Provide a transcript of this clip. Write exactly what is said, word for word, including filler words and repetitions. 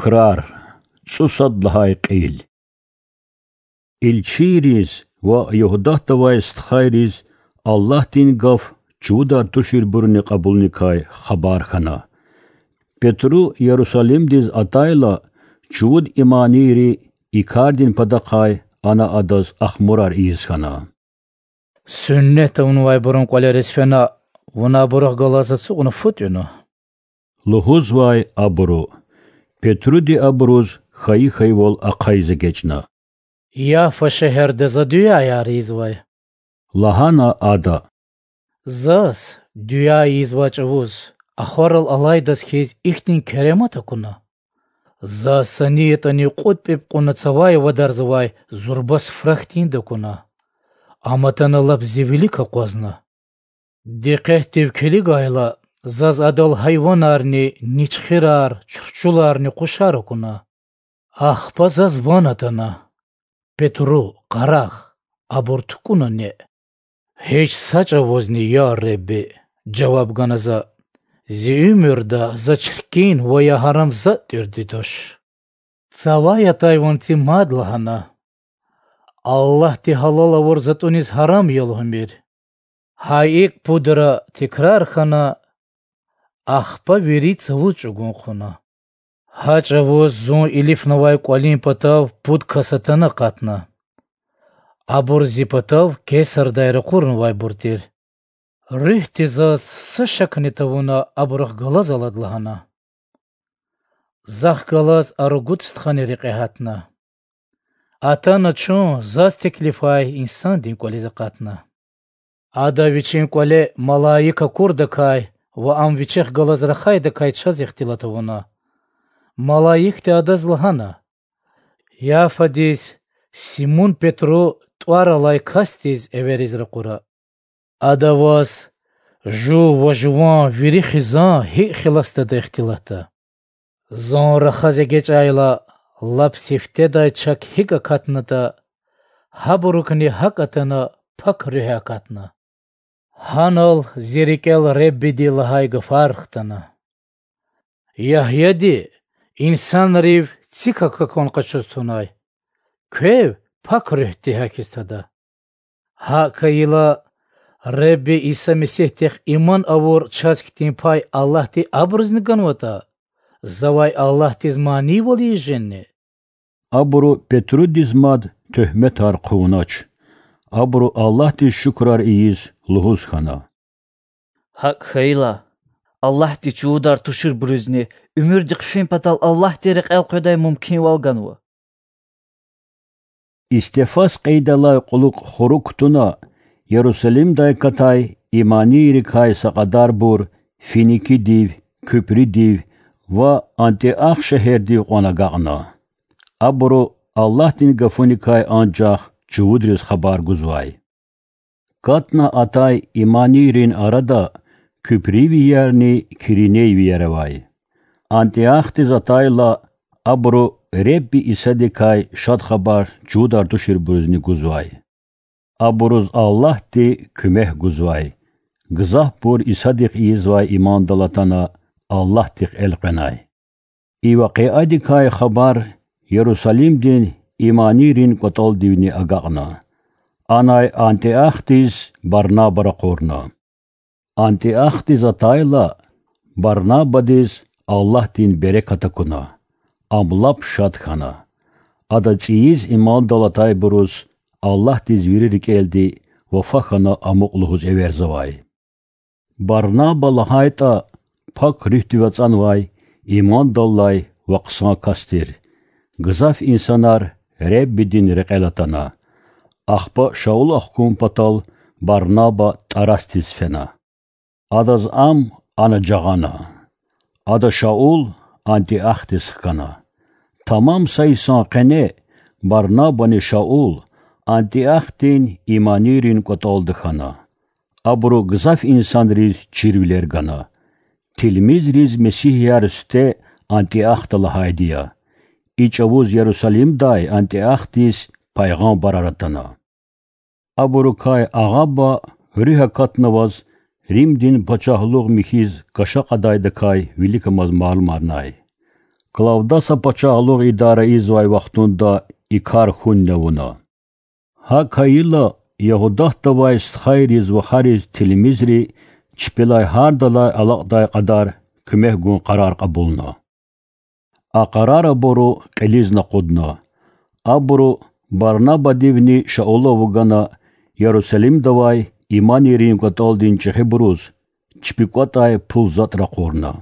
Крар. ЦӀусад лагьай кьил. Илчийриз ва Югьдатда авай стхайриз Аллагьдин гаф чувудар туширбурни кьабулуникай хабар хьана. Петру Ярусалимдиз атайла, чувуд иманийри и кардин патахъай ана адаз ахмурар ийиз хьана. Суннат авунвайбурун кӀвалериз фена, вуна абурухъ галаз ацукьна фу тӀуьна,— лугьузвай абуру. Петруди абуруз хьайи хьайивал ахъайиз эгечӀна. Яфа шегьерда за дуьаяр ийизвай,— лагьана ада. Заз дуьа ийизвай чӀавуз ахварал алайдаз хьиз ихьтин керемат акуна. Заз са ни ятӀани кьуд пӀипӀ кьуна цавай вадарзавай зурба суфра хьтинди акуна. Ам атана лап зи вилик акъвазна. Дикъетдив килигайла, заз адал гьайванарни, ничхирар, чурчуларни, къушар акуна. Ахпа заз ван атана: Петру, къарагъ, абур тукӀуна неъ. Гьич са чӀавузни, я Худа, жаваб гана за, зи уьмуьрда за чиркин ва я гьарам затӀ тӀуьрди туш. Цавай атай ванци мад лагьана: Аллагьди гьалал авур затӀуниз гьарам я лугьумир. Гьа икӀ пудра тикрар хьана, ахпа вири цавуз чӀугун хъувуна. Гьа чӀавуз зун илифнавай кӀвалин патав пуд кас атана акъатна. Абур зи патав Кесардай ракъурнавайбур тир. Руьгьди заз са шакни тавуна абурухъ галаз алад лагьана. Захъ галаз а ругуд стхани рекье гьатна. Атана чун заз теклифай инсандин кӀвализ акъатна. Ада вичин кӀвале малаик акурдакай ва ам вичихъ галаз рахайдакай чаз ихтилат авуна. Малаикди адаз лагьана: Яфадиз Симун-Петру тӀвар алай касдиз эвериз ракъура. Ада ваз жув ва жуван вири хизан гьикӀ хиласдатӀа ихтилатда. Зун рахаз эгечӀайла, лап сифтедай чак гьикӀ акатнатӀа, гьабурукни гьакӀ атана Пак Руьгь акатна. Гьанал зи рикӀел Худадин лагьай гафар хтана: Ягьяди инсанрив цик акахьун къачуз тунай, квев Пак Руьгьди гьахьиз тада. ГьакӀ хьайила, Худа Иса Месигьдихъ иман авур чаз хьтин пай Аллагьди абурузни ганватӀа, завай Аллагьдиз манийвал ийиз жени? Абуру Петрудиз мад туьгьметар хъувунач. Абуру Аллагьдиз шукурар ийиз лугьуз хьана: ГьакӀ хьайила, Аллагьди чувудар туширбурузни уьмуьрдихъ фин патал Аллагьдин рекьел къведай мумкинвал ганва. Истефас кьейидалай кьулухъ хурук кутуна, Ярусалимдай акатай иманийрикай са кьадарбур финикидив, куьпридив ва Антиох шегьердив кьван агакьна. Абуру Аллагьдин гафуникай анжах чувудриз хабар гузвай. КатӀна атай иманийрин арада куьприйвиярни киринейвияр авай. Антиохдиз атайла, абуру Худа Исадикай Шад Хабар чувудар туширбурузни гузвай. Абуруз Аллагьди куьмек гузвай. Гзафбур Исадихъ ийизвай имандал атана, Аллагьдихъ элкъвенай. И вакъиадикай хабар Ярусалимдин иманийрин кӀватӀалдивни агакьна. Анай Антиохдиз Барнаба ракъурна. Антиохдиз атайла, Барнабадиз Аллагьдин берекат акуна, ам лап шад хьана. Ада цӀийиз имандал атайбуруз Аллагьдиз вири рикӀелди вафа хьана амукь лугьуз эверзавай. Барнаба лагьайтӀа, Пак Руьгьдив ацӀанвай имандаллай ва хъсан кас тир. Гзаф инсанар Худадин рекьел атана. Ахпа Шаул ахкун патал Барнаба ТӀарасдиз фена. Адаз ам ана жагъана. Ада Шаул Антиохдиз хкана. Тамам са йисан къене Барнабани Шаул Антиохдин иманийрин кӀватӀалда хьана. Абуру гзаф инсанриз чирвилер гана. Тилмизриз месигьияр сифте Антиохда лагьайди я. И чӀавуз Ярусалимдай Антиохдиз пайгъамбарар атана. Абурукай Агъаба руьгь акатнаваз Римдин пачагьлугъ михьиз кӀаша кьадайдакай виликамаз малумарнай. Клавдаса пачагьлугъ идара ийизвай вахтунда и кар хьунни авуна. ГьакӀ хьайила, Ягьудатдавай стхайриз вахариз тилмизри чпелай гьардалай алакьдай кьадар куьмек гун къарар кьабулна. А къарар абуру кьилизни акъудна. Абуру Барнабадивни Шаулав вугана Ярусалимдавай иманийрин кӀватӀалдин чӀехибуруз чпи кӀватӀай пул-затӀ ракъурна.